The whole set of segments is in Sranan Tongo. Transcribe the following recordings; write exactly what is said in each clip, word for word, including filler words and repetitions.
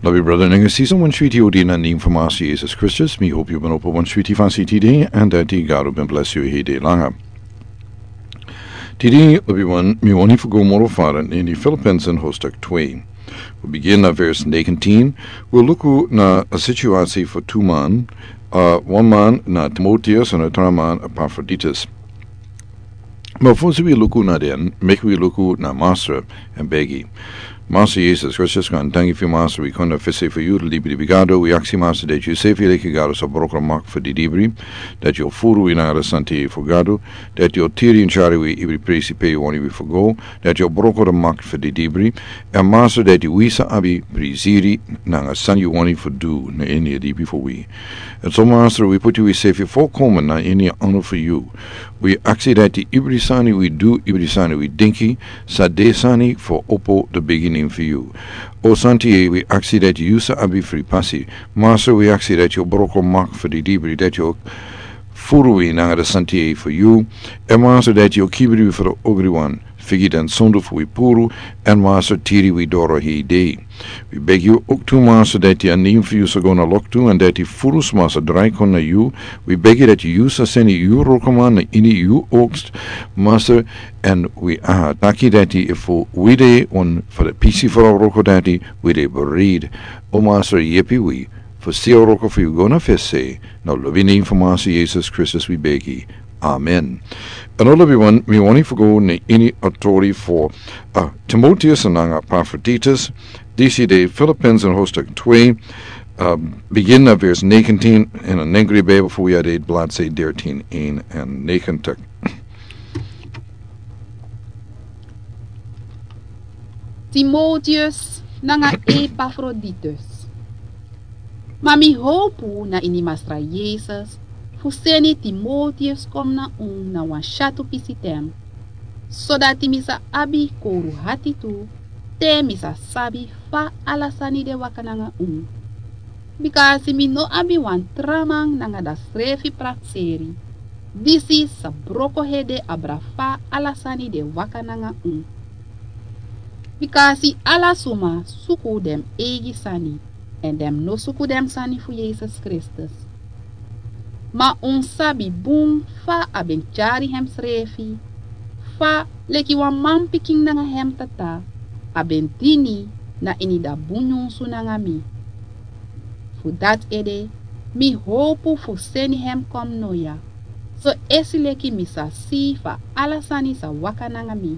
Lobi brother nanga sisa, wan switi odi na nen fu Master Jesus Kristus. Mi hopi yu ben opo wan switi fasi tide, èn dati Gado ben bless yu hede langa. Tide, lobi wan, mi wani fu go moro fara na ini Filippenzen hoofdstuk twee. Wi bigin na vers negentien. Wi luku na a situasi fu tu man, a wan man na Timoteus èn a tra man Epafroditus. Ma fosi wi luku na den, meki wi luku na Master èn begi. Master Jesus Kristus, kon danki fu Master, wi kon na fesi fu yu, libri fu Gado, wi aksi Master dati yu sefi leki Gado sa broko mak fu didibri, dati yu furu wi nanga sante fu Gado, dati yu tiri èn cari wi ibri presi pe yu wani wi fu go, dati yu broko mak fu didibri, èn Master dati wi sa abi prisiri nanga san yu wani fu du na ini a libi fu wi. Èn so Master, wi puti wi sefi folkomen na ini a anu fu yu. Wi aksi dati ibri sani wi du, ibri sani wi dinki, sa de sani fu opo de bigin fu yu. O Santa, wi aksi dati yu sa abi fri pasi. Master, wi aksi dati yu broko mak fu didibri, dati yu furu wi nanga sante fu yu. Èn Master, dati yu kibri wi fu ogri wan. Figi den sondu fu wi puru, èn Master, tiri wi doro hede. Wi begi yu ok tu Master dati a nen fu yu sa go na loktu, èn dati furu sma sa drai kon na yu. Wi begi dati yu sa seni yu wrokoman na ini yu oogst, Master, èn wi a taki dati efu wi de wan fu de pisi fu a wroko dati, wi de bereid. O Master, yepi wi fu si a wroko fu yu go na fesi, na lobi nen fu Master Jesus Kristus wi begi. Amen. Èn o lobi wan, mi wani fu go na ini a tori fu, a, Timoteus nanga Epafroditus, disi de Filippenzen hoofdstuk twee, a, bigin na vers negentien, èn a nengri Bijbel fu wi a de bladzij dertien eenennegentig. Timoteus nanga Epafroditus. Ma mi howpu na ini Masra Yesus fu seni Timoteus kon na unu na wan syatu pisi ten, sodati mi sa abi kowru ati tu, te mi sa sabi fa ala sani de waka nanga unu. Bikasi mi no abi wan tra man nanga dati srefi prakseri, disi sa broko hede abra fa ala sani de waka nanga unu. Bikasi ala suma suku den eigi sani, èn den no suku den sani fu Yesus Kristus. Ma un sabi bun fa a ben tyari hemsrefi, fa leki wan manpikin nanga hem tata, a ben dini na ini dati bun nyunsu nanga mi. Fu dati ede, mi howpu fu seni hem kon noya, so esi leki mi sa si fa ala sani sa waka nanga mi.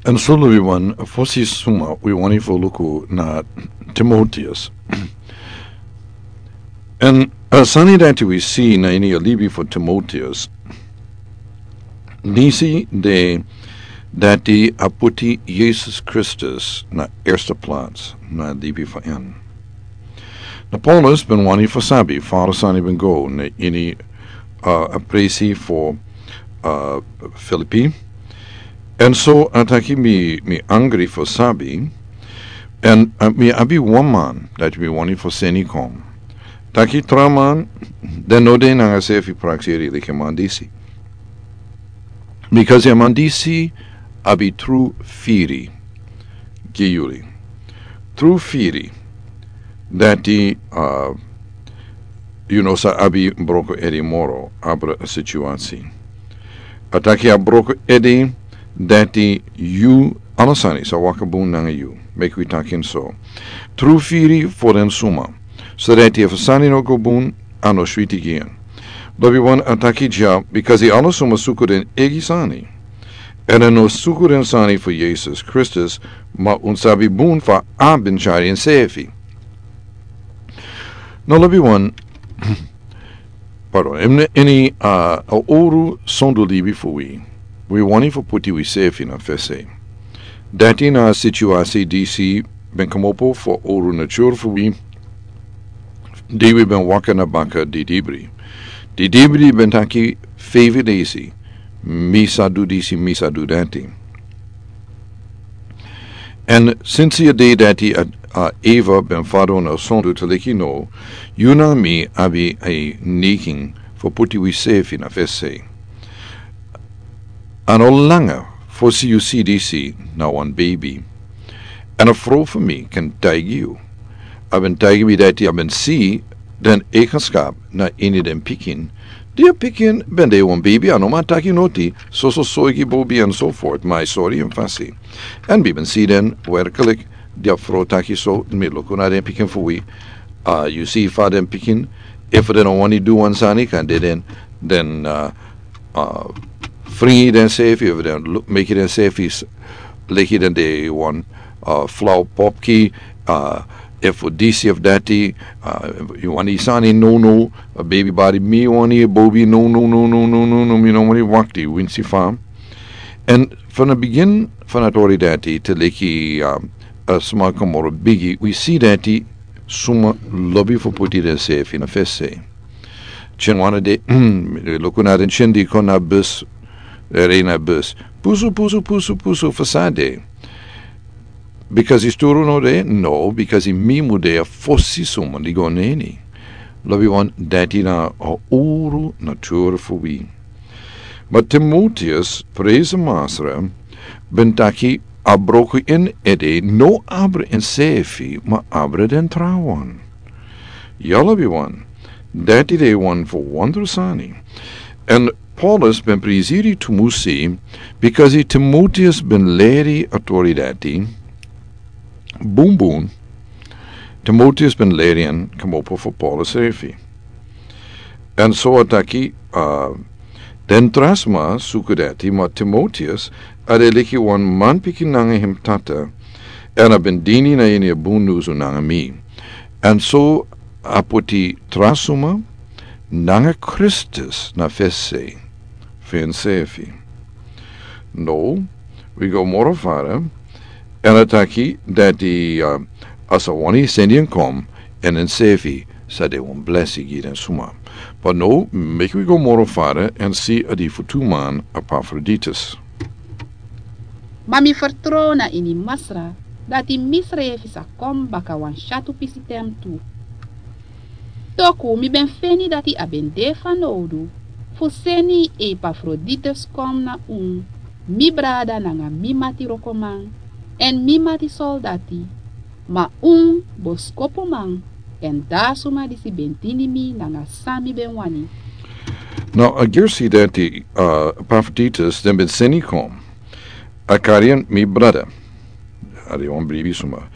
Èn so lobi wan, fosi suma wi wani fu luku na Timoteus. Èn a sani dati wi si na ini a libi fu Timoteus, disi de dati a puti Yesus Kristus na erste plats na libi fu en. Na Paulus ben wani fu sabi fa a sani ben go na ini, a, a presi fu, a, Filipi. Èn so a taki mi, mi angri fu sabi, èn, a, mi abi wan man dati mi wani fu seni kon. Taki tra man, den no de nanga srefi prakseri leki a man disi. Bikasi a man disi abi tru firi gi yuli. Tru firi dati, a, yu no sa abi broko ede moro abra a situasi. A taki a broko ede dati yu ala sani sa waka bun nanga yu. Meki wi taki en so. Tru firi fu den suma. Sodati efu sani no go bun, a no switi gi en. Lobi wan, a taki dya, bikasi ala suma suku den eigi sani. Èn a no suku den sani fu Yesus Kristus, ma un sabi bun fa a ben tyari ensefi. Now lobi wan, pardon, ini, ini, a, a owru sondu libi fu wi, wi wani fu puti wisefi na fesi. Dati na a situasi disi ben kmopo fu a owru natur fu wi, di wi ben waka na baka didibri. Didibri ben taki feifi desi, mi sa du disi, mi sa du dati. Èn sinsi a dei dati a, a Eva ben fadon a sondu te leki now, yu nanga mi abi a neiging fu puti wisefi na fesi. A no langa fosi yu si disi na wan beibi. Èn a frow fu mi kan taigi yu, A ben taigi mi dati a ben si den eigenskap na ini den pikin. Di a pikin ben de wan beibi, a no man taki noti, soso soigi bobi en so fort, ma a sori en fasi. En mi ben si den werkelijk, di a fro taki so, mi luku na den pikin fu wi. A yu si fa den pikin, efu den no wani du wan sani, kan de den, den, a, a, fringi densefi, efu den lu- meki densefi s- leki den de wan, a, flau popki, a, efu disi efu dati, a, yu wani sani no no, a, baby bari mi wani bobi no no no no no no no mi no wani wakti winsi fa. En van het begin van het ori dati te leki, a, a sma kan moro bigi, wi si dati suma lobi fu puti densefi na fesi. Chin wana de, luku na den chin di kon na bus, rei na bus. Pusu, pusu, pusu, pusu, fasade. Because i sturu no de, no, because i mimu de a fosi suma di go neni. Lobi wan dati na a uru natur fu wi. Ma Timoteus, preze masra, ben taki a broku in ede no abra en sefi, ma abra den trawan. Yala bi wan, dati de wan fu wondru sani. En Paulus ben prisiri tumusi, because Timoteus ben leri autori dati, bun bun, Timoteus ben leri en kamopo fu Paulus sefi. En so a taki, a, den tra sma suku dati, ma Timoteus, a de leki wan manpikin nanga hem tata, en a ben dini na ini a bun nusu nanga mi. En so a puti tra suma nanga Kristus na fesi fu ensefi. No, wi go moro fara, en a taki dati, a, a sa wani seni en kom, en ensefi sa de wan blesi gi den suma. But no, meki wi go moro fara, en si a di fu tu man Epafroditus. Ma mi fertrow na ini Masra, dati misrefi sa kon baka wan syatu pisi ten tu. Toku mi ben feni dati a ben de fanowdu fu seni Epafroditus kon na un, mi brada nanga mi mati wrokoman, èn mi mati soldati, ma un boskopuman, èn da suma disi ben dini mi nanga san mi ben wani. Now, a gersi dati, uh, Epafroditus den ben seni kon, a kari en mi brada, a de wan bribi suma.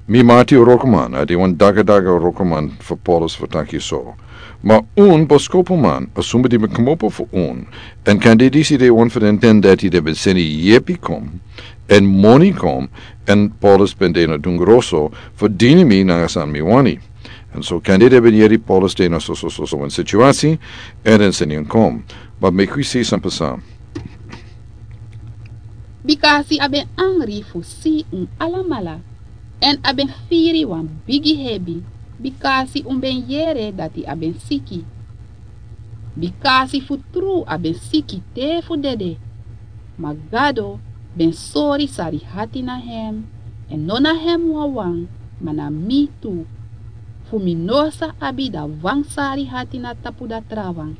Mi mati wrokoman, a de wan dagadaga wrokoman fu Paulus fu taki so. Ma un boskopuman, a suma di ben komopo fu un. Èn kande disi de wan fu den ten dati den ben seni yepi kon, èn moni kon, èn Paulus ben de na dungroso fu dini mi nanga san mi wani. Èn so kande den ben yeri Paulus de na so so so so wan situasi, èn den seni en kon. But meki wi si san pasa. Bikasi a ben angri fu si un alamala, èn a ben firi wan bigi hebi, bikasi un ben yere dati a ben siki. Bikasi fu tru a ben siki te fu dede. Ma Gado ben sori sari hati na hem, èn no na hem wawan, ma na mi tu. Fu mi no sa abi da wan sari hati na tapu da trawan.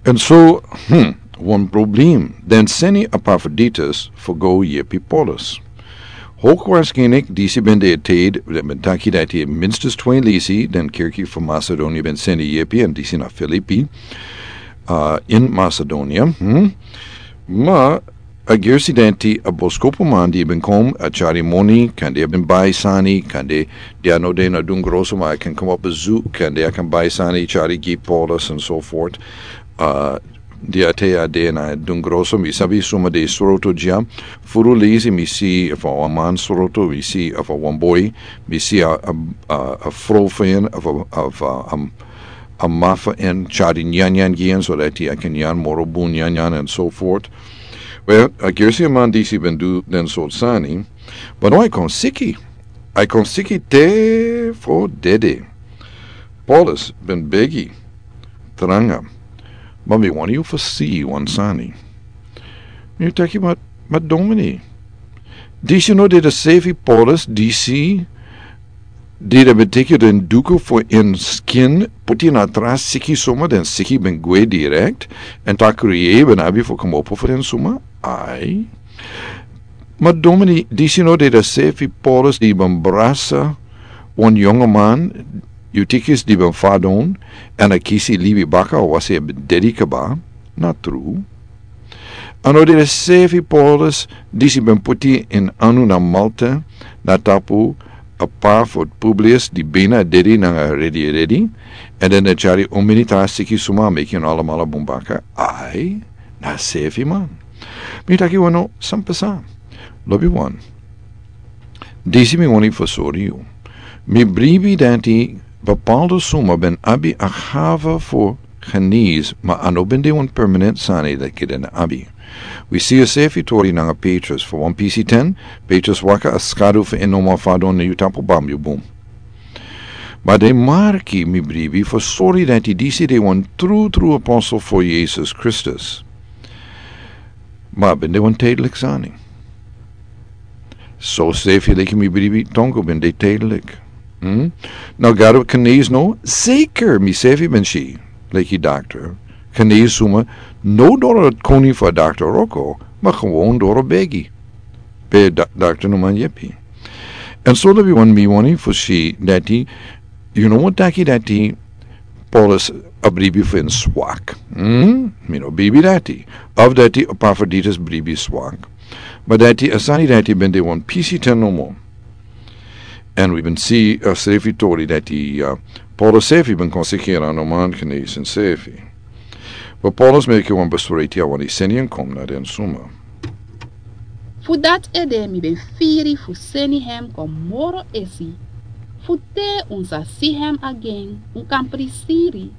Èn so, hmm, wan problem. Den seni Epafroditus fu go yepi Paulus. Hoogwaarschijnlijk disi ben de tijd, den ben taki dati minstens twee lisi, den kerki fu Macedonië ben seni yepi, èn disi na Filipi, uh, in Macedonië. Hmm? Ma a gersi dati a boskopuman di ben kon, a tyari moni, kande a ben bai sani, kande di a no de na dungroso ma a kan komopo bezoek, kande a kan bai sani, tyari gi Paulus, and so forth. Uh, di a te a de na dungroso, mi sabi suma de sroto dya. Furu lisi mi si efu a wan man sroto, mi si efu a wan boi, mi si a, a, a, a fro fu en, efu a, efu a, um, a mafa en tyari nyanyan gi en, so dati a kan nyan moro bun nyanyan, and so forth. Well, a gersi a man disi ben du den sort sani, but no a kon siki. A kon siki te fu dede. Paulus ben begi tranga, ma mi wani yu fu si wan sani. Mi taki, ma, ma domini, disi no de de sefi Paulus disi di den ben teki den duku fu en skin, puti na tra siki suma, den siki ben gwe direct, èn tak' yu ben abi fu komopo fu den suma? Ai. Ma domini, disi no de de sefi Paulus di ben brasa Wan yongoman, Eutychus, di ben fadon, èn a kisi libi baka, a wasi a ben dedi kaba, na tru. A no dede sefi Paulus, disi ben puti en anu na Malta, na tapu a pa fu Publius, di bina dedi nanga redi redi, èn den a tyari un minitar siki suma meki un alamala bun baka, ai, na sefi man. Mi taki wano san pasa. Lobi wan. Disi mi wani fu sori yu. Mi bribi dati bepaalde suma ben abi a gave fu genees, ma a no ben de wan permanent sani dati den abi. Wi si a sefi tori nanga Petrus fu wan pisi ten, Petrus waka a skadu fu en no man fadon na yu tapu bambu bun. Ma den marki mi bribi fu sori dati disi de wan tru tru apostel fu Yesus Kristus. Ma ben de wan tijdelijk sani. So sefi leki mi bribi tongo ben de tijdelijk. Hmm? Na Gado genees no, zeker mi sefi ben si, leki dokter. Genees suma, no doro koni fu dokter roko, ma gewoon doro begi. Pe da-, dokter no man yepi. En so lobi wan mi wani fu si dati, yu no mo taki dati Paulus a bribi fu en swak. Hmm? Mi no bribi dati. Of dati Epaphroditus bribi swak. Ma dati a sani dati ben de wan pisi ten no mo. En wi ben si a sefi tori dati, uh, Paulus sefi ben konsekera no man genees en sefi. Ma Paulus meki wan besluit a wani seni en kom na den suma. Fu dati ede mi ben firi fu seni hem kon moro esi, fu te un sa si hem again, un kan prisiri,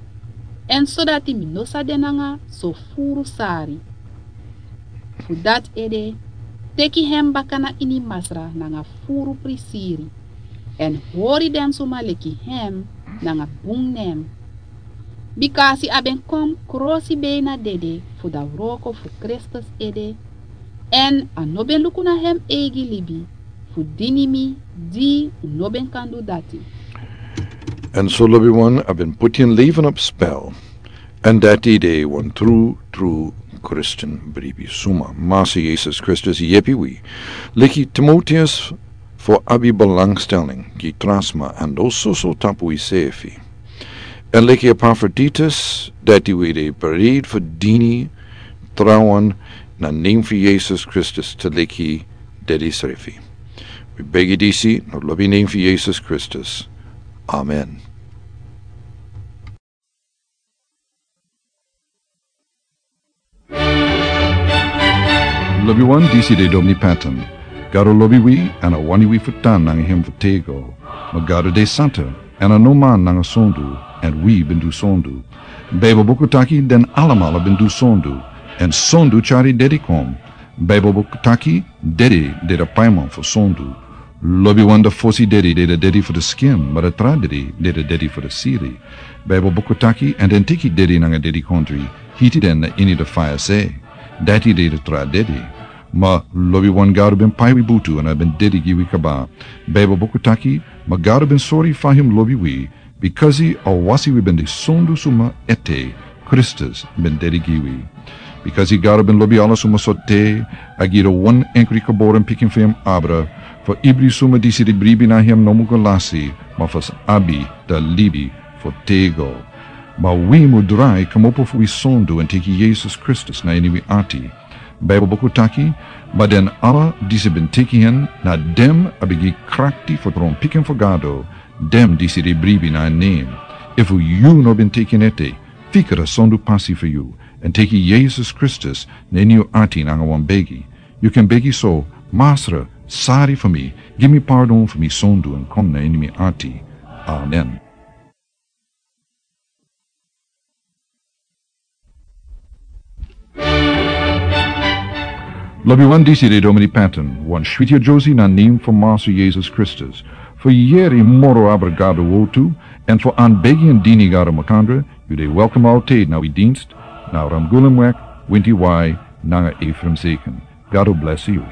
en sodati mi no sa de nanga so furu sari. Fu dati ede, teki hem baka na ini Masra nanga furu prisiri, en hori den suma leki hem nanga bun nen. Bikasi a ben kon krosi beina dede fu da wroko fu Kristus ede, en a no ben luku na hem eigi libi, fu dini mi di un no ben kan du dati. En so lobi wan a ben puti en leven op spel. En dati de wan tru, tru Christian bribi suma. Masi Yesus Kristus yepi wi. Leki Timoteus fu abi belangstelling, gi trasma, en dososo tapu wi sefi. En leki Epaphroditus, dati wi de bereid fu dini trawan na nen fu Yesus Kristus te leki dedi srefi. Wi begi disi, na lobi nen fu Yesus Kristus. Amen. Lobi wan, disi de Domini Patton. Gado lobi wi, en a wani wi fu tan nanga hem fu tego. Ma Gado de santa, en a no man nanga sondu, en wi ben du sondu. Bijbel buku taki den alamala ben du sondu, en sondu tyari dedi kon. Bijbel buku taki, dedi de da paiman fu sondu. Lobi wan, da fosi dedi de da dedi fu da skin, ma da tra dedi de da dedi fu da siri. Bijbel buku taki, en den teki dedi nanga dedikondri, hiti den na ini da faya se. Dati de da tra dedi. Ma lobi wan, Gado ben pai wi butu, en a ben dedi gi wi kaba. Bijbel buku taki, ma Gado ben sori fa hem lobi wi, bikasi a wasi wi ben de sondu suma ete, Kristus ben dedi gi wi. Bikasi Gado ben lobi ala suma so te, a gi da wan enkri geboren pikin fu hem abra, fu ibri suma disi di bribi na hem no mu go lasi, ma fu sa abi da libi fu tego. Ma wi mu drai kmopo fu wi sondu en teki Yesus Kristus na ini wi ati. Bijbel buku taki, ma den ala disi ben teki hen, na dem a ben gi krakti fu tron pikin fu Gado, dem disi di bribi na en nen. Efu yu no ben teki en ete, fika da sondu pasi fu yu, en teki Yesus Kristus na ini yu ati nanga wan begi. Yu kan begi so, Masra, sari fu mi, gi mi pardon fu mi sondu en kon na ini mi ati. Amen. Lobi wan, disi de Domini Patton, wan switi adosi na nen fu Masi Yesus Kristus. Fu yeri moro abra Gado wortu, en fu anbegi en dini Gado makandra, yu de welkom altijd na wi dienst, na Ramgulumweg, winti wai, nanga Ephraim Zeken. Gado bless yu.